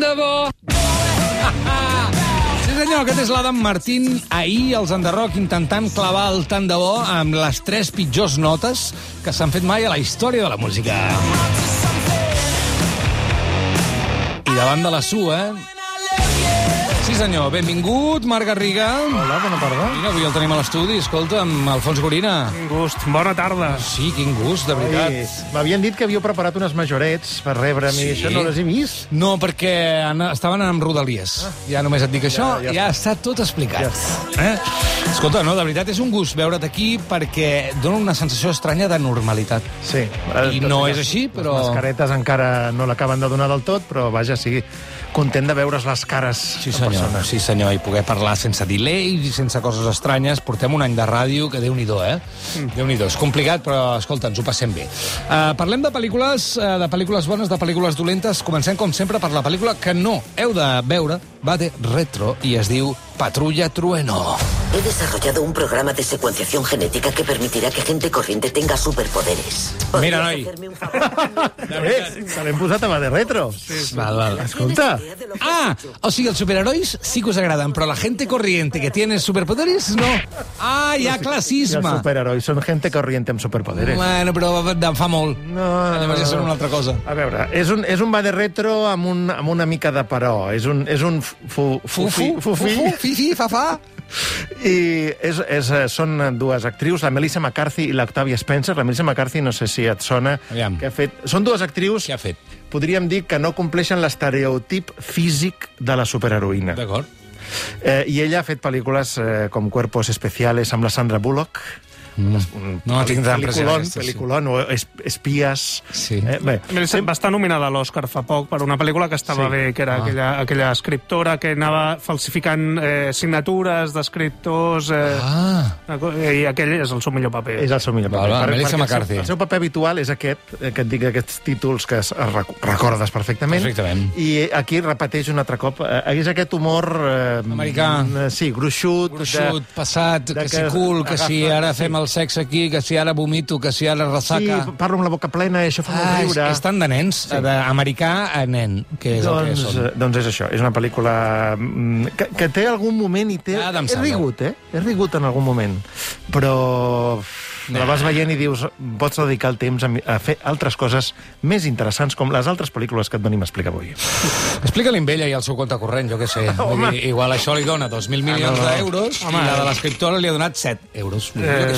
de bo. Sí senyor, aquest és l'Adam Martín. Ahir els Enderroc intentant clavar el tant de bo amb les 3 pitjors notes que s'han fet mai a la història de la música. I davant de la sua... Sí senyor, benvingut, Marc Garriga. Hola, bona tarda. Mira, avui el tenim a l'estudi, escolta, amb Alfons Gorina. Quin gust, bona tarda. Sí, quin gust, de veritat. M'havien dit que havíeu preparat unes majorets per rebre'm i això no les he vist. No, perquè estaven amb Rodalies. Ja només et dic això, ja està tot explicat. Escolta, no, de veritat és un gust veure't aquí perquè dona una sensació estranya de normalitat. Sí. I no és així, però... Les mascaretes encara no l'acaben de donar del tot, però vaja, sí, content de veure's les cares sí, senyor, sí, senyor, i poder parlar sense delay i sense coses estranyes. Portem un any de ràdio que Déu-n'hi-do, Déu-n'hi-do. És complicat, però, escolta, ens ho passem bé. Parlem de pel·lícules bones, de pel·lícules dolentes. Comencem, com sempre, per la pel·lícula que no heu de veure. Va de retro i es diu Patrulla Trueno. He desarrollado un programa de secuenciación genética que permitirá que gente corriente tenga superpoderes. Mira, noi. Se l'hem posat a mà de retro. Val. Escolta. O sigui, els superherois sí que us agraden, però la gente corriente que tiene superpoderes, no. Ja I classisme. els superherois són gente corriente amb superpoderes. Bueno, però fa molt. No. Llavors ja són una altra cosa. A veure, és un va de retro amb una mica de però. És un Fifi, fa. I són dues actrius, la Melissa McCarthy i l'Octavia Spencer. La Melissa McCarthy, no sé si et sona, Aviam. que ha fet... Són dues actrius... Què ha fet? Podríem dir que no compleixen l'estereotip físic de la superheroïna. D'acord. I ella ha fet pel·lícules com Cuerpos Especiales amb la Sandra Bullock. No tinc tan present aquesta, sí. Pel·lículon, o Espies. Sí. Bé, Va estar nominada a l'Oscar fa poc per una pel·lícula que estava bé, que era aquella escriptora que anava falsificant signatures d'escriptors... I aquell és el seu millor paper. és el seu millor paper. Melissa McCarthy. El seu paper habitual és aquest, que et dic aquests títols que recordes perfectament. Perfectament. I aquí repeteix un altre cop. És aquest humor... Americà. Sí, gruixut. Passat, que si cul, que si ara fem el sexe aquí, que si ara vomito, que si ara ressaca... Sí, parlo amb la boca plena i això fa molt riure. És tan de nens, d'americà a nen, que és el que són. Doncs és això, és una pel·lícula que té algun moment i té... És rigut, És rigut en algun moment. Però la vas veient i dius, pots dedicar el temps a fer altres coses més interessants, com les altres pel·lícules que et venim a explicar avui. Explica-li amb ella i el seu compte corrent, jo què sé. Igual això li dona 2.000 milions d'euros i la de l'escriptora li ha donat 7 euros.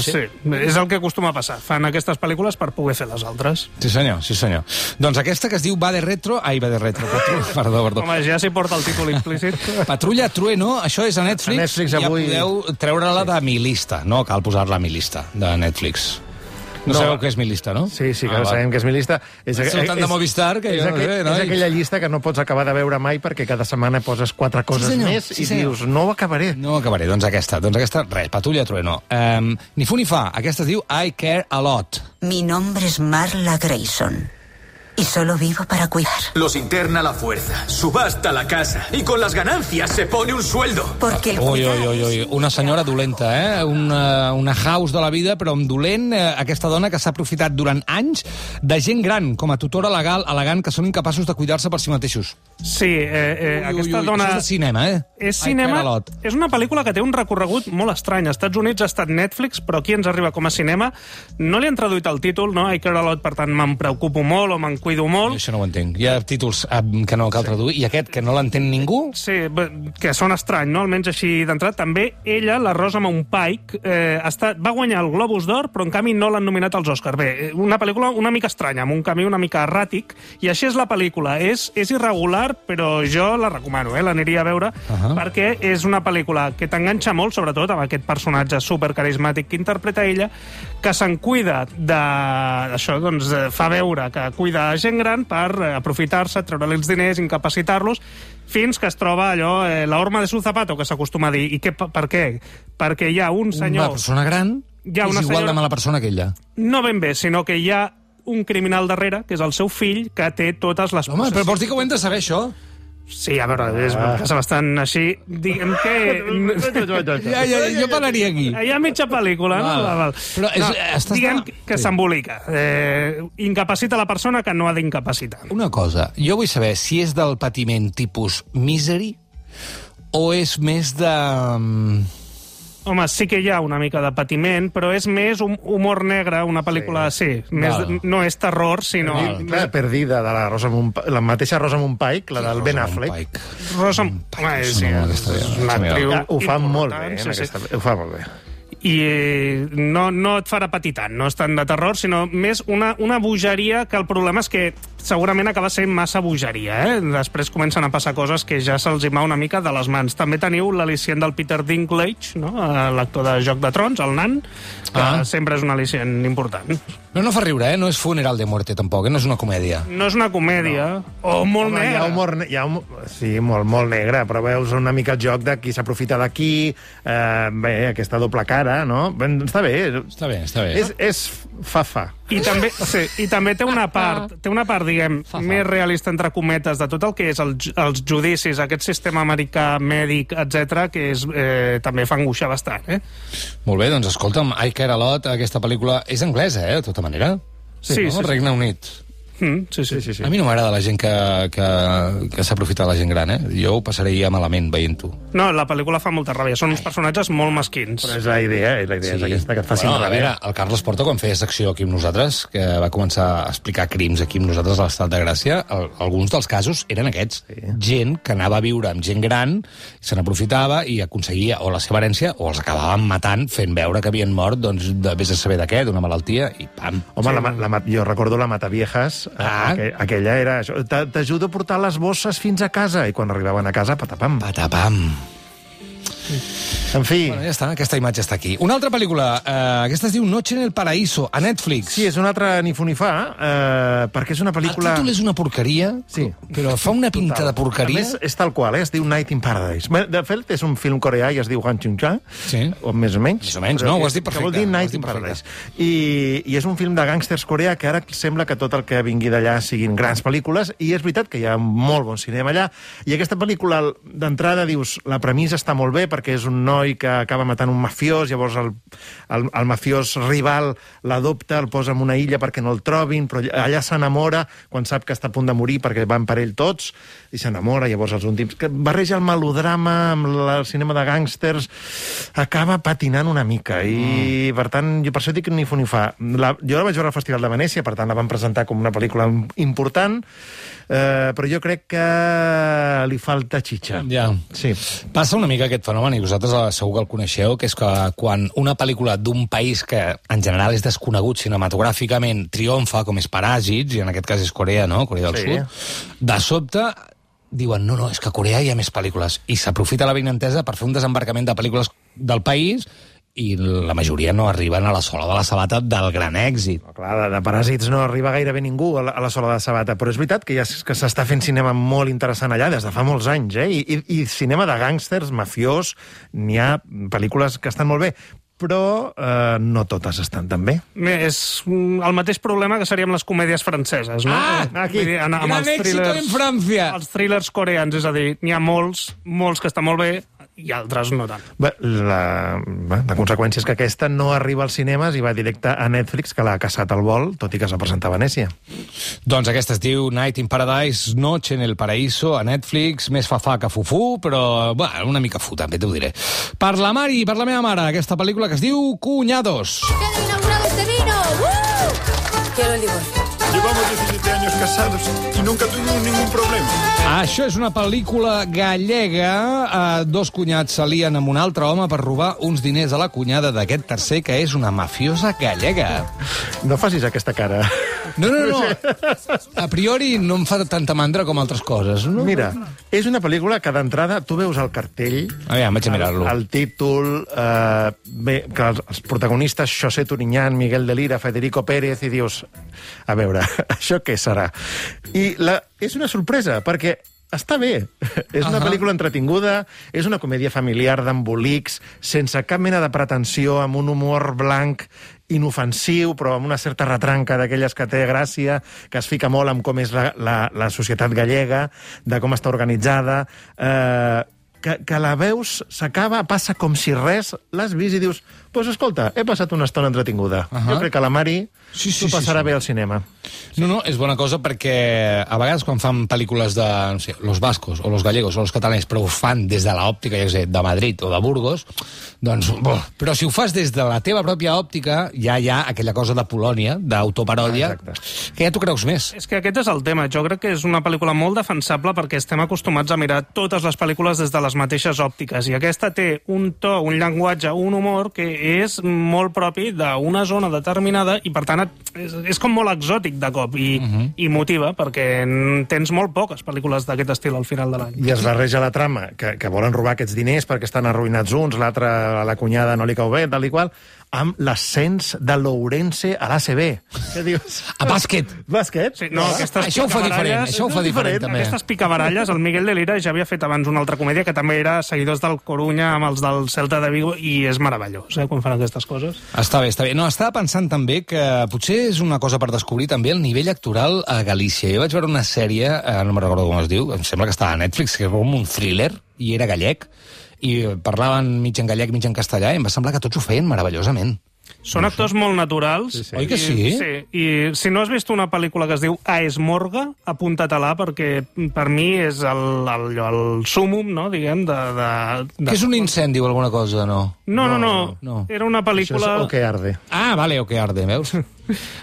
Sí, és el que acostuma a passar. Fan aquestes pel·lícules per poder fer les altres. Sí, senyor. Doncs aquesta que es diu Va de retro... Perdó. Home, ja s'hi porta el títol implícit. Patrulla Trueno, això és a Netflix. A Netflix avui... Ja podeu treure-la de mi lista. No cal posar-la a mi lista de Netflix. No sabeu què és mi lista, no? Sí, que sabem que és mi lista. Sou tant de Movistar que jo no sé, no? És aquella llista que no pots acabar de veure mai perquè cada setmana poses 4 coses més i dius, no ho acabaré. No ho acabaré, doncs aquesta, res, Patrulla Trueno. Ni fu ni fa, aquesta es diu I Care a Lot. Mi nombre es Marla Grayson. Y solo vivo para cuidar. Los interna la fuerza, subasta la casa y con las ganancias se pone un sueldo. Porque el Ui, una senyora dolenta, una house de la vida, però amb dolent, aquesta dona que s'ha aprofitat durant anys de gent gran, com a tutora legal, elegant, que són incapaços de cuidar-se per si mateixos. Sí, aquesta dona... Això és de cinema, És cinema, és una pel·lícula que té un recorregut molt estrany. Als Estats Units ha estat Netflix, però aquí ens arriba com a cinema. No li han traduït el títol, no? I Care a Lot, per tant, me'n preocupo molt o me'n cuido molt. Això no ho entenc. Hi ha títols que no cal traduir, i aquest, que no l'entén ningú? Sí, que sona estrany, no? Almenys així d'entrada. També ella, la Rosa Pike, va guanyar el Globus d'Or, però en canvi no l'han nominat als Oscars. Bé, una pel·lícula una mica estranya, amb un camí una mica erràtic, i així és la pel·lícula. És irregular, però jo la recomano, l'aniria a veure, perquè és una pel·lícula que t'enganxa molt, sobretot amb aquest personatge supercarismàtic que interpreta ella, que se'n cuida d'això, doncs fa veure que cuida gent gran per aprofitar-se, treure-li els diners, incapacitar-los, fins que es troba allò, la horma de su zapato, que s'acostuma a dir. I per què? Perquè hi ha un senyor... Una persona gran és igual de mala persona que ella. No ben bé, sinó que hi ha un criminal darrere, que és el seu fill, que té totes les Home, però vols dir que ho hem de saber, això? Sí, a veure, és bastant així. Diguem que... Jo parlaria aquí. Hi ha mitja pel·lícula, no? Però diguem que s'embolica. Incapacita la persona que no ha d'incapacitar. Una cosa, jo vull saber si és del patiment tipus Misery o és més de... Home, sí que hi ha una mica de patiment, però és més un humor negre, una pel·lícula... Sí, no és terror, sinó... La perdida de la mateixa Rosamund Pike, la del Ben Affleck. Rosamund Pike, sí, una actriu ho fa molt bé, ho fa molt bé. I no et farà patir tant, no és tant de terror, sinó més una bogeria que el problema és que segurament acaba sent massa bogeria, Després comencen a passar coses que ja se'ls hi va una mica de les mans. També teniu l'al·licient del Peter Dinklage, no? L'actor de Joc de Trons, el nan, que sempre és un al·licient important. No fa riure, no és Funeral de Muerte, tampoc, no és una comèdia. No és una comèdia, o molt negra. Sí, molt negre, però veus una mica el joc de qui s'aprofita d'aquí, aquesta doble cara, no? Està bé. Està bé. És fa. I també té una part, diguem, més realista, entre cometes, de tot el que és els judicis, aquest sistema americà, mèdic, etc, que també fa angoixar bastant, Molt bé, doncs escolta'm, I Care a Lot, aquesta pel·lícula és anglesa, de tota manera? Sí. Regne Unit. Sí. A mi no m'agrada la gent que s'aprofita de la gent gran, Jo ho passaria malament veient-ho. No, la pel·lícula fa molta ràbia. Són uns personatges molt mesquins. Però és la idea és aquesta, que et facin ràbia. A veure, el Carles Porta, quan feia secció aquí amb nosaltres, que va començar a explicar crims aquí amb nosaltres a l'Estat de Gràcia, alguns dels casos eren aquests. Gent que anava a viure amb gent gran, se n'aprofitava i aconseguia o la seva herència o els acabaven matant fent veure que havien mort, doncs, vés a saber de què, d'una malaltia, i pam. Home, jo recordo la Mataviejas. Aquella era això. T'ajudo a portar les bosses fins a casa. I quan arribaven a casa, patapam. En fi... Bueno, ja està, aquesta imatge està aquí. Una altra pel·lícula, aquesta es diu Noche en el Paraíso, a Netflix. Sí, és una altra ni fu ni fa, perquè és una pel·lícula... El títol és una porqueria, però fa una pinta de porqueria. A més, és tal qual, es diu Night in Paradise. De fet, és un film coreà i es diu Han Chung-cha, o més o menys. Més o menys, no? Ho has dit perfecte. Que vol dir Night in Paradise. I és un film de gàngsters coreà que ara sembla que tot el que vingui d'allà siguin grans pel·lícules, i és veritat que hi ha molt bon cinema allà, i aquesta pel·lícula, d'entrada, dius, la premissa està molt bé, perquè és un noi que acaba matant un mafiós, llavors el mafiós rival l'adopta, el posa en una illa perquè no el trobin, però allà s'enamora quan sap que està a punt de morir perquè van per ell tots, i s'enamora, llavors els últims... Que barreja el melodrama amb el cinema de gàngsters, acaba patinant una mica, i per tant, jo per això dic ni fu ni fa. Jo la vaig veure al Festival de Venècia, per tant la van presentar com una pel·lícula important, però jo crec que li falta xitxa. Ja. Sí. Passa una mica aquest fenomen, i vosaltres segur que el coneixeu, que és que quan una pel·lícula d'un país que en general és desconegut cinematogràficament triomfa, com és Paràsits, i en aquest cas és Corea, no? Corea del Sud, de sobte diuen, no, és que a Corea hi ha més pel·lícules, i s'aprofita la benentesa per fer un desembarcament de pel·lícules del país, i la majoria no arriben a la sola de la sabata del gran èxit. No, clar, de Paràsits no arriba gairebé ningú a la sola de la sabata, però és veritat que s'està fent cinema molt interessant allà des de fa molts anys, i cinema de gàngsters, mafiós, n'hi ha pel·lícules que estan molt bé, però no totes estan tan bé. És el mateix problema que seria amb les comèdies franceses, no? Aquí. Gran èxit en França! Els thrillers coreans, és a dir, n'hi ha molts que estan molt bé, i altres no tant. La conseqüència és que aquesta no arriba als cinemes i va directe a Netflix, que l'ha caçat al vol, tot i que es va presentar a Venècia. Doncs aquesta es diu Night in Paradise, Noche en el Paraíso, a Netflix, més fa que fufú, però una mica fu, també t'ho diré. Per la Mari, per la meva mare, aquesta pel·lícula que es diu Cuñados. ¡Queda inaugurado este vino! Quiero el divorcio. Llevamos 17 años casados y nunca tuvimos ningún problema. Això és una pel·lícula gallega. Dos cunyats s'alien amb un altre home per robar uns diners a la cunyada d'aquest tercer, que és una mafiosa gallega. No facis aquesta cara. No. A priori no em fa tanta mandra com altres coses. No? Mira, és una pel·lícula que d'entrada tu veus el cartell, vaig a mirar-lo. El títol, bé, que els protagonistes, José Turiñán, Miguel de Lira, Federico Pérez, i dius, a veure, això què serà? I és una sorpresa, perquè està bé. És una pel·lícula entretinguda, és una comèdia familiar d'embolics, sense cap mena de pretensió, amb un humor blanc inofensiu, però amb una certa retranca d'aquelles que té gràcia, que es fica molt amb com és la societat gallega, de com està organitzada, que la veus, s'acaba, passa com si res, l'has vist i dius, doncs escolta, he passat una estona entretinguda. Jo crec que la Mari s'ho passarà bé al cinema. No, és bona cosa perquè a vegades quan fan pel·lícules de, no sé, los vascos o los gallegos o los catalans, però ho fan des de l'òptica, ja sé, de Madrid o de Burgos, doncs, però si ho fas des de la teva pròpia òptica, ja hi ha aquella cosa de Polònia, d'autoparòdia, que ja t'ho creus més. És que aquest és el tema. Jo crec que és una pel·lícula molt defensable perquè estem acostumats a mirar totes les pel·lícules des de les mateixes òptiques, i aquesta té un to, un llenguatge, un humor que és molt propi d'una zona determinada i, per tant, és com molt exòtic de cop i motiva, perquè tens molt poques pel·lícules d'aquest estil al final de l'any. I es barreja la trama, que volen robar aquests diners perquè estan arruïnats uns, l'altre, a la cunyada no li cau bé, tal i qual, amb l'ascens de l'Ourense a l'ACB. Què dius? A bàsquet. Bàsquet? Sí, no, això ho fa diferent, també. Aquestes picabaralles, el Miguel de Lira ja havia fet abans una altra comèdia que també era seguidors del Corunya amb els del Celta de Vigo, i és meravellós, quan fan aquestes coses. Està bé. No, estava pensant també que potser és una cosa per descobrir també el nivell actoral a Galícia. Jo vaig veure una sèrie, no me'n recordo com es diu, em sembla que estava a Netflix, que era com un thriller, i era gallec, i parlaven mig en gallec, mig en castellà, i em va semblar que tots ho feien meravellosament. Són actors molt naturals. Sí. Oi que sí? Sí, i si no has vist una pel·lícula que es diu A Esmorga, apunta-te-la, perquè per mi és el súmum, no?, diguem, Que és un incendi o alguna cosa, no? No. Era una pel·lícula... Això és O que arde. Ah, vale, O que arde, veus?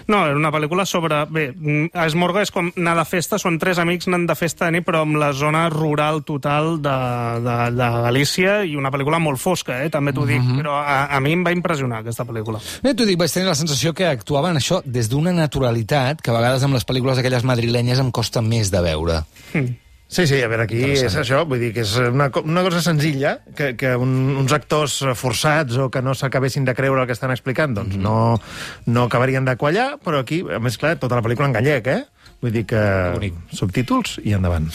No, era una pel·lícula sobre... Bé, A Esmorga és com anar de festa, són 3 amics anant de festa de nit, però amb la zona rural total de Galícia, i una pel·lícula molt fosca, també t'ho dic, però a mi em va impressionar aquesta pel·lícula. T'ho dic, vaig tenir la sensació que actuaven això des d'una naturalitat que a vegades amb les pel·lícules aquelles madrilenyes em costa més de veure. Sí, a veure, aquí és això, vull dir que és una cosa senzilla, que uns actors forçats o que no s'acabessin de creure el que estan explicant, doncs no acabarien de quallar, però aquí, a més, clar, tota la pel·lícula en gallec, Vull dir que subtítols i endavant.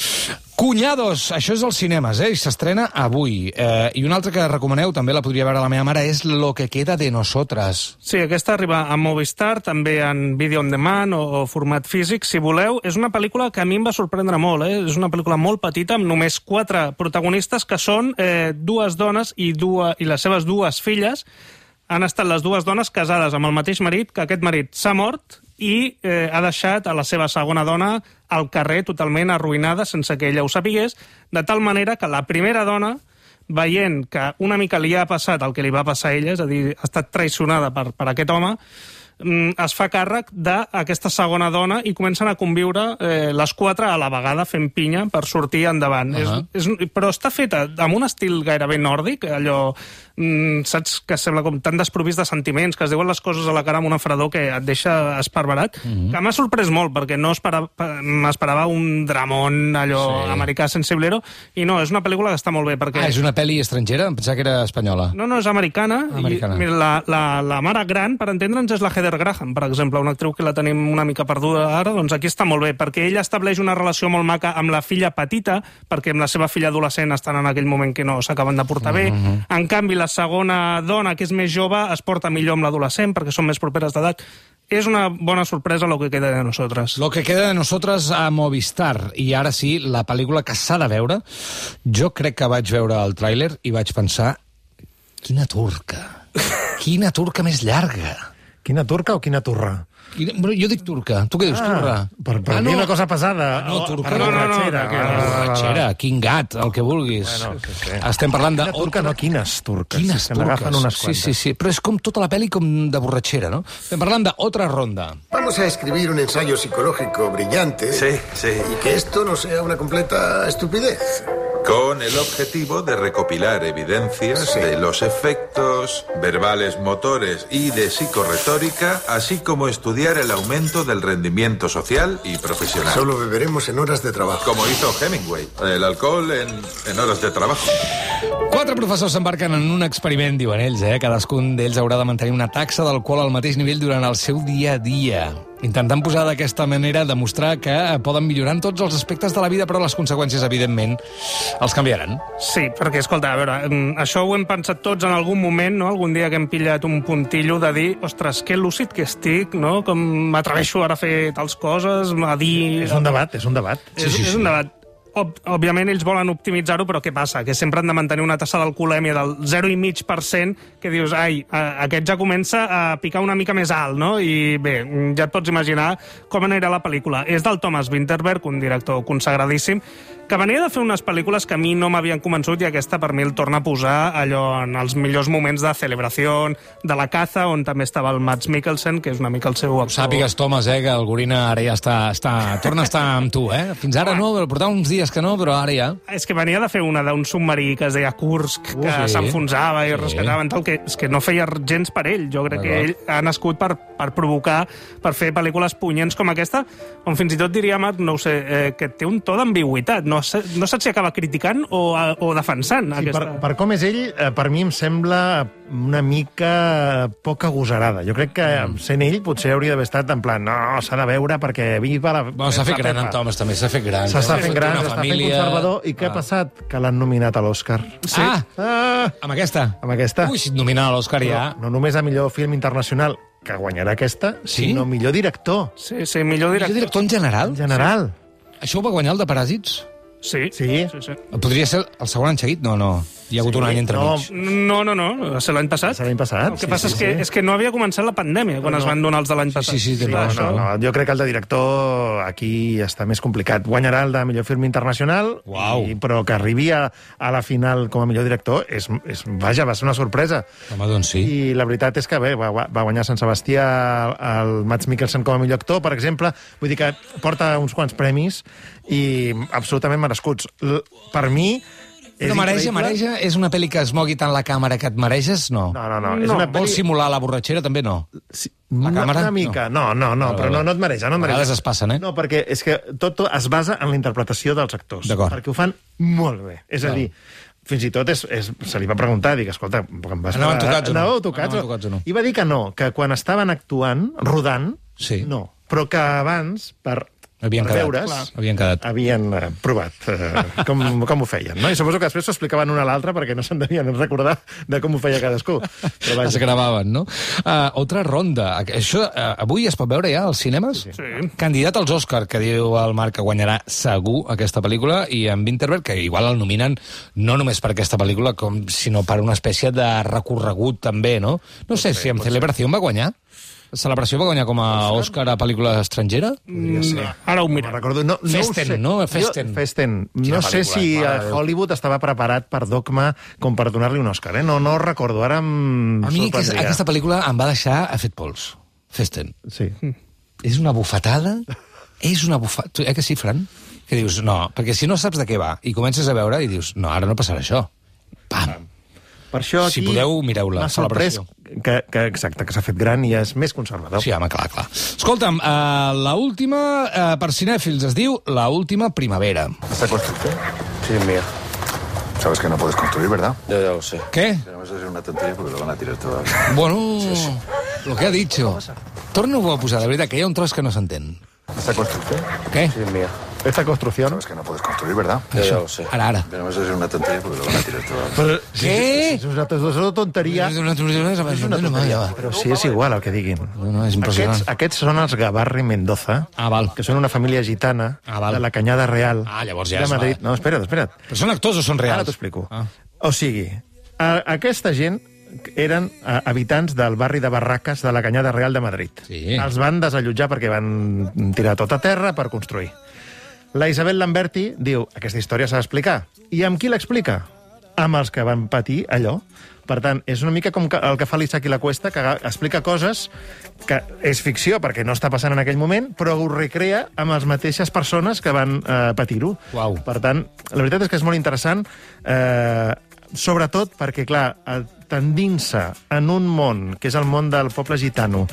Cunyados, això és als cinemes, i s'estrena avui. I una altra que recomaneu, també la podria veure la meva mare, és Lo que queda de nosotras. Sí, aquesta arriba a Movistar, també en vídeo on demand o format físic, si voleu. És una pel·lícula que a mi em va sorprendre molt, És una pel·lícula molt petita, amb només 4 protagonistes, que són 2 dones i les seves 2 filles. Han estat les 2 dones casades amb el mateix marit, que aquest marit s'ha mort i ha deixat a la seva segona dona al carrer totalment arruïnada sense que ella ho sapigués, de tal manera que la primera dona, veient que una mica li ha passat el que li va passar a ella, és a dir, ha estat traicionada per aquest home, es fa càrrec d'aquesta segona dona i comencen a conviure les 4 a la vegada fent pinya per sortir endavant. Però està feta amb un estil gairebé nòrdic, allò, saps, que sembla com tan desprovist de sentiments, que es diuen les coses a la cara amb una fredor que et deixa esparverat, que m'ha sorprès molt, perquè no m'esperava un dramón allò americà sensiblero, i no, és una pel·lícula que està molt bé. Perquè... és una pel·li estrangera? Em pensava que era espanyola. No, és americana. Mira, la mare gran, per entendre'ns, és la Heather Graham, per exemple, una actriu que la tenim una mica perduda ara, doncs aquí està molt bé, perquè ella estableix una relació molt maca amb la filla petita, perquè amb la seva filla adolescent estan en aquell moment que no s'acaben de portar bé. En canvi, la segona dona, que és més jove, es porta millor amb l'adolescent, perquè són més properes d'edat. És una bona sorpresa Lo que queda de nosotras. Lo que queda de nosotras a Movistar. I ara sí, la pel·lícula que s'ha de veure. Jo crec que vaig veure el tràiler i vaig pensar, quina turca. Quina turca més llarga. Quina turca o quina turra? Jo dic turca. Tu què dius, turra? Per dir una cosa pesada. No, turca. Borratxera, quin gat, el que vulguis. Estem parlant de... Quina turca, no, quines turques. Quines turques. N'agafen unes quantes. Sí. Però és com tota la pel·li com de borratxera, no? Estem parlant d'Otra Ronda. Vamos a escribir un ensayo psicológico brillante. Sí. Y que esto no sea una completa estupidez. Con el objetivo de recopilar evidencias de los efectos verbales, motores y de psicorretórica, así como estudiar el aumento del rendimiento social y profesional. Solo beberemos en horas de trabajo. Como hizo Hemingway, el alcohol en horas de trabajo. 4 professors s'embarquen en un experiment, diuen ells, Cadascun d'ells haurà de mantenir una taxa d'alcohol al mateix nivell durant el seu dia a dia. intentant posar d'aquesta manera, demostrar que poden millorar en tots els aspectes de la vida, però les conseqüències, evidentment, els canviaran. Sí, perquè, escolta, a veure, això ho hem pensat tots en algun moment, no? Algun dia que hem pillat un puntillo de dir, ostres, que lúcid que estic, no? Com m'atreveixo ara a fer tals coses, a dir... És un debat, és un debat. És un debat. Òbviament ells volen optimitzar-ho, però què passa? Que sempre han de mantenir una tassa d'alcoholèmia del 0,5%, que dius, ai, aquest ja comença a picar una mica més alt, no? I bé, ja et pots imaginar com anirà la pel·lícula. És del Thomas Vinterberg, un director consagradíssim, que venia de fer unes pel·lícules que a mi no m'havien convençut, i aquesta per mi el torna a posar allò en els millors moments de Celebració, de La caza, on també estava el Mads Mikkelsen, que és una mica el seu actor. Sàpigues, Thomas, que el Gorina ara ja torna a estar amb tu, eh? Fins ara no, portava uns dies que no, però ara ja... És que venia de fer una d'un submarí que es deia Kursk, que s'enfonsava i rescataven tal, que és que no feia gens per ell. Jo crec que ell ha nascut per provocar, per fer pel·lícules punyents com aquesta, on fins i tot diria, Marc, no ho sé, que té un to d'ambigüitat. No saps si acaba criticant o defensant. Sí, per com és ell, per mi em sembla una mica poc agosarada. Jo crec que sent ell potser hauria d'haver estat en plan, no, s'ha de veure perquè viva la... Bueno, s'ha fet gran, en Thomas, també s'ha fet gran. S'està fent gran, s'està fent conservador. I què ha passat? Que l'han nominat a l'Oscar. Sí. Amb aquesta? Amb aquesta. Ui, si et nominen a l'Oscar ja... No només a millor film internacional, que guanyarà aquesta, sinó millor director. Sí, millor director. Millor director en general? En general. Això ho va guanyar el de Paràsits? Sí. Podria ser el segon any seguit? No. Hi ha hagut un any entremig. No. Va ser l'any passat. L'any passat. El que passa és que no havia començat la pandèmia quan es van donar els de l'any passat. Sí, no. Jo crec que el de director aquí està més complicat. Guanyarà el de millor film internacional, però que arribi a la final com a millor director, vaja, va ser una sorpresa. Home, doncs sí. I la veritat és que bé, va guanyar Sant Sebastià el Mads Mikkelsen com a millor actor, per exemple. Vull dir que porta uns quants premis i absolutament merescuts. Per mi... Però mareja? És una pel·li que es mogui tant la càmera que et mareges? No. Vols simular la borratxera? També no. La càmera? Una mica. No, però no et mareja. A vegades es passen, eh? No, perquè és que tot es basa en la interpretació dels actors. Perquè ho fan molt bé. És a dir, fins i tot se li va preguntar, dic, escolta... Anàveu tocats o no? I va dir que no, que quan estaven actuant, rodant, no. Però que abans, per havien provat com ho feien, no? I suposo que després s'ho explicaven un a l'altre perquè no se'n devien recordar de com ho feia cadascú. Es gravaven, no? Altra ronda. Això avui es pot veure ja als cinemes? Sí. Candidat als Òscar, que diu el Marc que guanyarà segur aquesta pel·lícula, i en Vinterberg, que igual el nominen no només per aquesta pel·lícula, sinó per una espècie de recorregut també, no? No sé si en Celebració va guanyar. Celebració va guanyar com a Òscar a pel·lícula estrangera? Ara ho mira. Festen. No sé si Hollywood estava preparat per Dogma com per donar-li un Òscar, eh? No recordo, ara em sorprendria. Aquesta pel·lícula em va deixar a fet pols. Festen. Sí. És una bufetada? Que sí, Fran? Que dius, no, perquè si no saps de què va i comences a veure i dius, no, ara no passarà això. Pam! Per això aquí... Si podeu, mireu-la, Celebració. Exacte, que s'ha fet gran i és més conservador. Sí, home, clar. Escolta'm, la última, per cinèfils, es diu La última primavera. ¿Esta construcción? Sí, es mía. Sabes que no puedes construir, ¿verdad? Ya lo sé. ¿Qué? Pero eso es una tontería porque lo van a tirar todo. Bueno, lo que ha dicho. Torna-ho a posar, de veritat, que hi ha un tros que no s'entén. ¿Esta construcción? ¿Qué? Sí, es mía. Esta construcción... Sabes que no puedes construir, ¿verdad? Ya lo sé. Ara. Pero eso es una tontería porque lo van a tirar todo. Què? És una tonteria. Però sí, és igual el que diguin. No, és impressionant. Aquests són els Gavarri Mendoza, que són una família gitana de la Canyada Real llavors ja de Madrid. No, espera't. Però són actors o són reals? Ara t'ho explico. O sigui, aquesta gent eren habitants del barri de Barraques de la Canyada Real de Madrid. Sí. Els van desallotjar perquè van tirar tot a terra per construir. La Isabel Lamberti diu, aquesta història s'ha d'explicar. I amb qui l'explica? Amb els que van patir allò. Per tant, és una mica com el que fa l'Isaac i la Cuesta, que explica coses que és ficció perquè no està passant en aquell moment, però ho recrea amb les mateixes persones que van patir-ho. Per tant, la veritat és que és molt interessant, sobretot perquè, clar, tendint-se en un món, que és el món del poble gitano,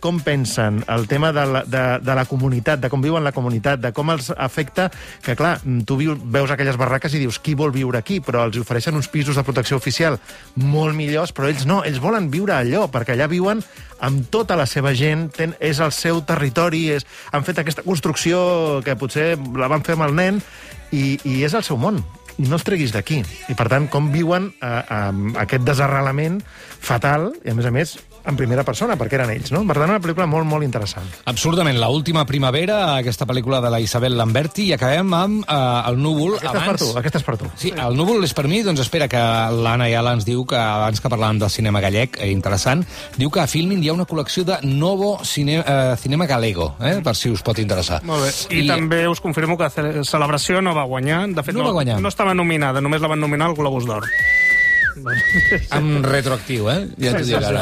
com pensen, el tema de la comunitat, de com viuen la comunitat, de com els afecta, que clar, tu veus aquelles barraques i dius, qui vol viure aquí? Però els ofereixen uns pisos de protecció oficial molt millors, però ells no, ells volen viure allò, perquè allà viuen amb tota la seva gent, és el seu territori, han fet aquesta construcció que potser la van fer amb el nen, i és el seu món, i no els treguis d'aquí. I per tant, com viuen aquest desarrelament fatal, i a més, en primera persona, perquè eren ells, no? Per tant, una pel·lícula molt, molt interessant. Absurdament, l'última primavera, aquesta pel·lícula de la Isabel Lamberti, i acabem amb El núvol. Aquesta és per tu. Sí, El núvol és per mi, doncs espera, que l'Anna Ayala ens diu que, abans que parlàvem del cinema gallec, interessant, diu que a Filmin hi ha una col·lecció de Novo Cinema Galego, per si us pot interessar. Molt bé. I també us confirmo que Celebració no va guanyar. De fet, no estava nominada, només la van nominar al Globus d'Or. Amb retroactiu, ja t'ho dic ara.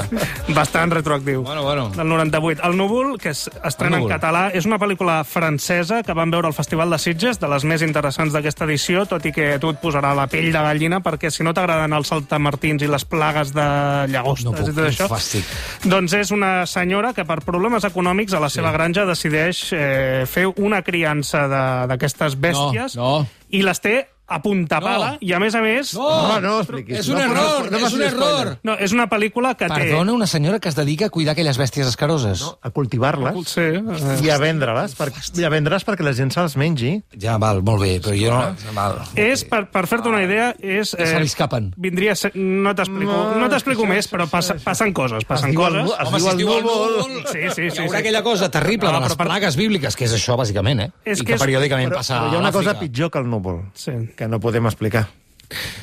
Bastant retroactiu. Bueno. Del 98. El núvol, que estrena en català, és una pel·lícula francesa que van veure al Festival de Sitges, de les més interessants d'aquesta edició, tot i que tu et posarà la pell de gallina, perquè si no t'agraden els saltamartins i les plagues de llagostes i tot això, doncs és una senyora que per problemes econòmics a la seva granja decideix fer una criança d'aquestes bèsties i les té a punta pala, i a més... No expliquis. És un error! No, és una pel·lícula que té... Perdona, una senyora que es dedica a cuidar aquelles bèsties escaroses. No, a cultivar-les i a vendre-les, perquè la gent se'ls mengi. Ja, val, molt bé, però jo no... És, per fer-te una idea, és... Se li escapen. Vindria a ser... No t'explico més, però passen coses. Home, si es diu el núvol... Sí. Hi haurà aquella cosa terrible de les plagues bíbliques, que és això, bàsicament, i que periòdicament passa a l'Àfrica. Però hi ha una cosa pitjor que el núvol. Sí. Que no podem explicar.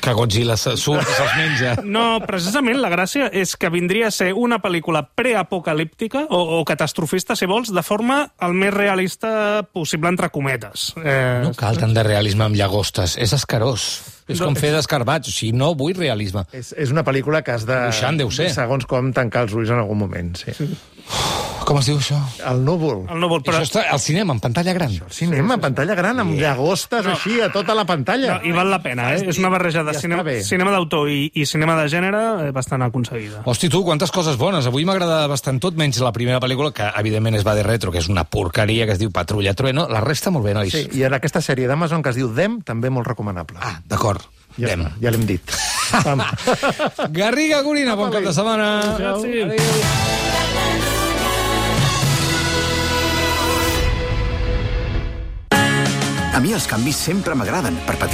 Que Godzilla surt i se'ls menja. No, precisament la gràcia és que vindria a ser una pel·lícula preapocalíptica o catastrofista, si vols, de forma el més realista possible, entre cometes. No cal tant de realisme amb llagostes, és escarós. És com fer d'escarbats, o sigui, no vull realisme. És una pel·lícula que has de... Dibuixant, deu ser. Segons com tancar els ulls en algun moment, sí. Com es diu això? El núvol. Però... Això està al cinema, en pantalla gran. Al cinema, en pantalla gran, amb llagostes així a tota la pantalla. I val la pena, És una barreja de cinema d'autor i cinema de gènere bastant aconseguida. Hosti, tu, quantes coses bones. Avui m'agrada bastant tot, menys la primera pel·lícula, que evidentment es va de retro, que és una porqueria, que es diu Patrulla Trueno. La resta molt bé, nois. Sí, i en aquesta sèrie d'Amazon que es diu Dem, també molt recomanable. Ah, d'acord. Ja l'hem dit. Garriga Gorina, bon cap de setmana. Adéu. A mi els canvis sempre m'agraden, per petits